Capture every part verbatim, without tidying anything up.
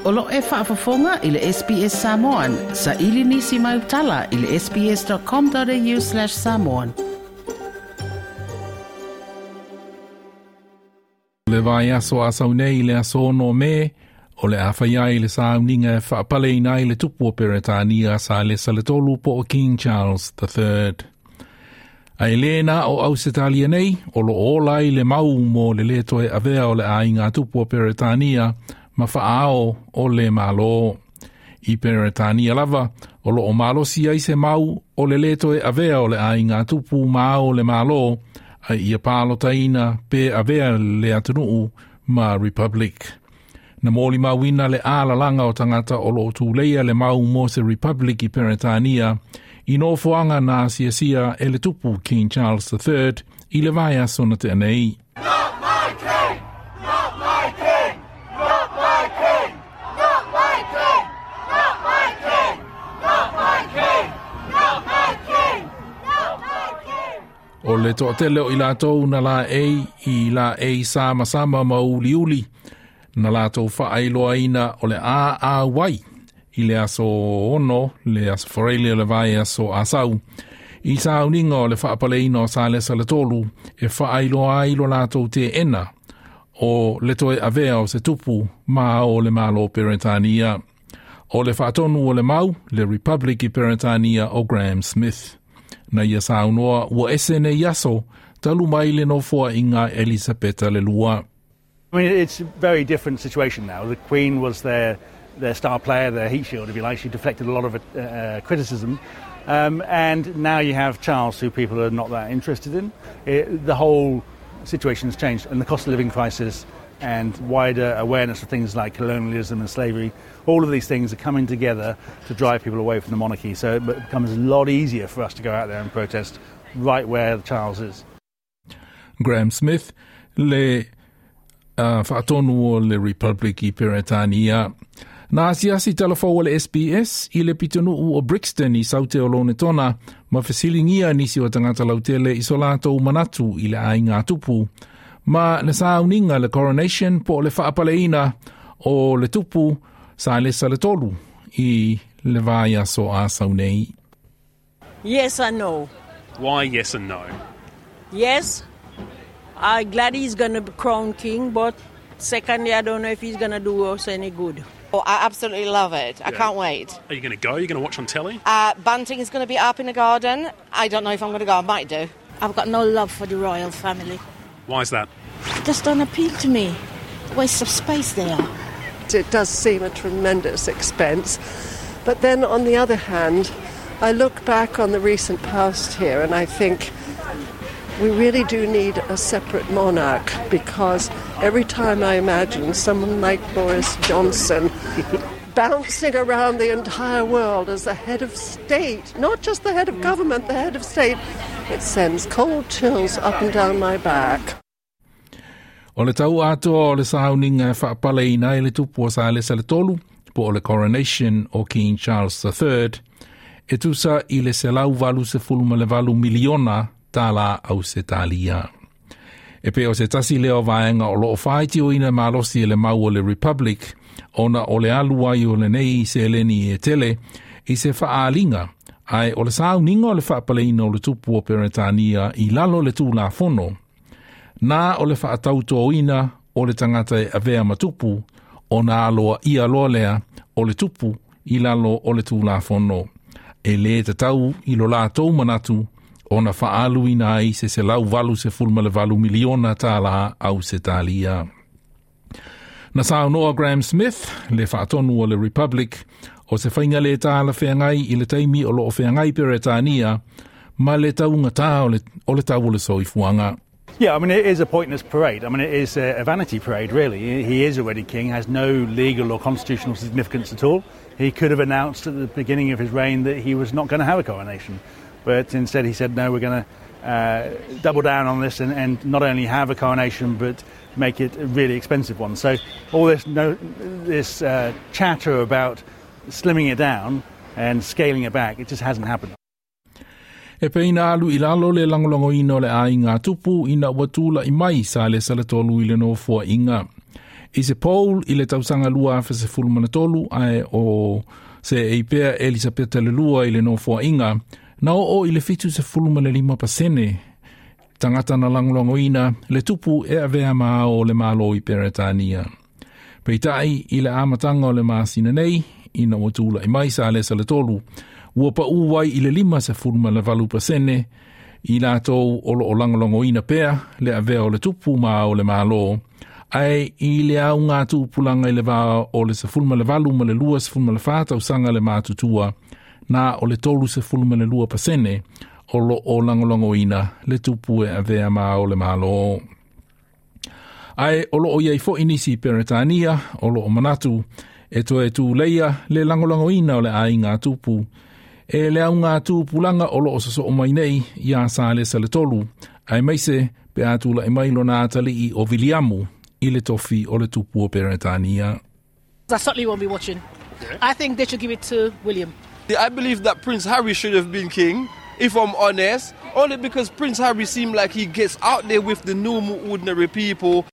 O lo e faafofoga i le S B S Samoan, sa ili nisi mai utala i le S B S dot com dot A U slash samoan. Le vaiaso asau nei le aso ono Me, o le a fai ai le sauniga e faapaleina ai le tupu o Peretania Salesa le Tolu po o King Charles the Third. Ae le na o Ausetalia nei, o lo ola ai le mau mo le le toe avea o le aiga tupu o Peretania ma faaao o le malo. I Peretania lava, o lo o malosi ai se mau o le le toe avea o le aiga tupu ma ao le malo, ai ia palotaina pe avea le atunuu ma Republic. Na molimauina le alalanga o tagata o lo o tuleia le mau mo se Republic i Peretania i nofoaga na asiasia e le tupu King Charles the Third i le vaiaso na tea nei. Not my king! Not my king! Not my king! Not my king! Not my king! Not my king! Not my king! Not my king! O le toatele o i latou na la ei i la ei sama sama ma uli uli na latou faailoaina o le a a wai i le aso ono le aso Foreile o le vaiaso asau i sauniga o le faapaleina o Salesa le Tolu e faailoa ai lo latou teena o le toe avea o se tupu ma o le malo Peretania. O le faatonu o le mau, le Republic i Peretania o Graham Smith. Na ia saunoa ua ese nei aso, talu mai le nofoaiga Elisapeta le Lua. I mean, it's a very different situation now. The Queen was their, their star player, their heat shield, if you like. She deflected a lot of uh, criticism. Um, and now you have Charles, who people are not that interested in. It, the whole situation has changed, and the cost of living crisis and wider awareness of things like colonialism and slavery, all of these things are coming together to drive people away from the monarchy. So it becomes a lot easier for us to go out there and protest right where Charles is. Graham Smith, le uh, faatonu o le Republic i Peretania. Na asiasi talafou o le S B S i le pitonuu o Brixton i Saute o Lonetona ma fesiligia nisi o tagata lautele i so latou manatu i le aiga tupu. Ma le sauniga le coronation po o le faapaleina o le tupu Salesa le Tolu i le vaiaso asau nei. Yes and no. Why yes and no? Yes, I'm glad he's going to be crowned king, but secondly, I don't know if he's going to do us any good. Oh, I absolutely love it. I Yeah. can't wait. Are you going to go? Are you going to watch on telly? Uh, bunting is going to be up in the garden. I don't know if I'm going to go. I might do. I've got no love for the royal family. Why is that? Just don't appeal to me. Waste of space they are. It does seem a tremendous expense. But then, on the other hand, I look back on the recent past here and I think we really do need a separate monarch, because every time I imagine someone like Boris Johnson bouncing around the entire world as the head of state, not just the head of government, the head of state, it sends cold chills up and down my back. O le tau atoa o le sauniga e faapaleina ai le tupu o Salesa le Tolu, po o le coronation o King Charles the Third, e tusa i le selau valu sefulu ma le valu miliona tala Ausetalia. E pe o se tasi lea o vaega o lo o faitioina malosi e le mau o le Republic, ona o le alu ai o lenei seleni e tele i se faaaliga, ae o le sauniga o le faapaleina o le tupu o Peretania i lalo le tulafono, na o le faatautoina o le tagata e avea ma tupu, ona aloa ia loa lea o le tupu i lalo o le tulafono. E le tatau i lo latou manatu ona faaluina ai se selau valu sefulu ma le valu miliona tala Ausetalia. Na saunoa Graham Smith, le faatonu o le Republic, o se faiga le talafeagai i le taimi o lo o feagai Peretania ma le taugatā o le, o le tau o le soifuaga. Yeah, I mean, it is a pointless parade. I mean, it is a, a vanity parade, really. He is already king, has no legal or constitutional significance at all. He could have announced at the beginning of his reign that he was not going to have a coronation. But instead he said, no, we're going to uh, double down on this and, and not only have a coronation, but make it a really expensive one. So all this, no, this uh, chatter about slimming it down and scaling it back, it just hasn't happened. E peina alu i lalo le lagolagoina o le aiga tupu ina ua tula'i mai Salesa le Tolu i le nofoaiga. I se poll i le tausaga lua afe sefulu ma le tolu ae o seei pea Elisapeta le lua i le nofoaiga, na oo i le fitu sefulu ma le lima pasene tagata na lagolagoina le tupu e avea ma ao o le Malo i Peretania. Peitai i le amataga o le masina nei, ina ua tula'i mai Salesa le tolu, ua paʻū ai i le lima sefulu ma le valu pasene i latou o loo lagolagoina pea le avea o le tupu ma ao o le Malo, ae i le auga tupulaga i le va o le sefulu ma le valu ma le lua sefulu ma le fa tausaga le matutua, na o le tolu sefulu ma le lua pasene o loo lagolagoina le tupu e avea ma ao o le Malo. Ae o loo iai fo'i nisi Peretania o loo manatu e toe tuleia le lagolagoina o le aiga tupu e le auga tupulaga o loo sosoo mai nei iā Salesa le tolu, aemaise pe a tula'i mai lona atalii o Viliamu i le tofi o le tupu o Peretania. I certainly won't be watching. I think they should give it to William. I believe that Prince Harry should have been king, if I'm honest, only because Prince Harry seemed like he gets out there with the normal, ordinary people.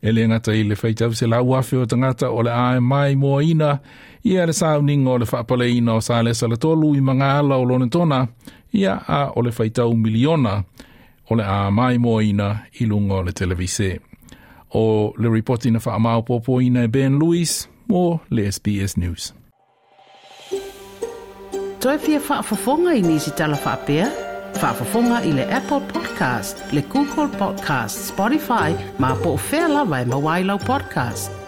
E le gata i le faitau selau afe o tagata o le a maimoaina ia le sauniga o le faapaleina o Salesa le tolu i magaala o Lonetona, ia a o le faitau miliona o le a maimoaina i luga o le televise. O le ripoti na faamaopoopoina e Ben Lewis mo le S B S News. Toe fia faafofoga i nisi tala faapea? Faafofoga i le Apple Podcast, le Google Podcast, Spotify, ma po o fea lava e maua ai lau podcast.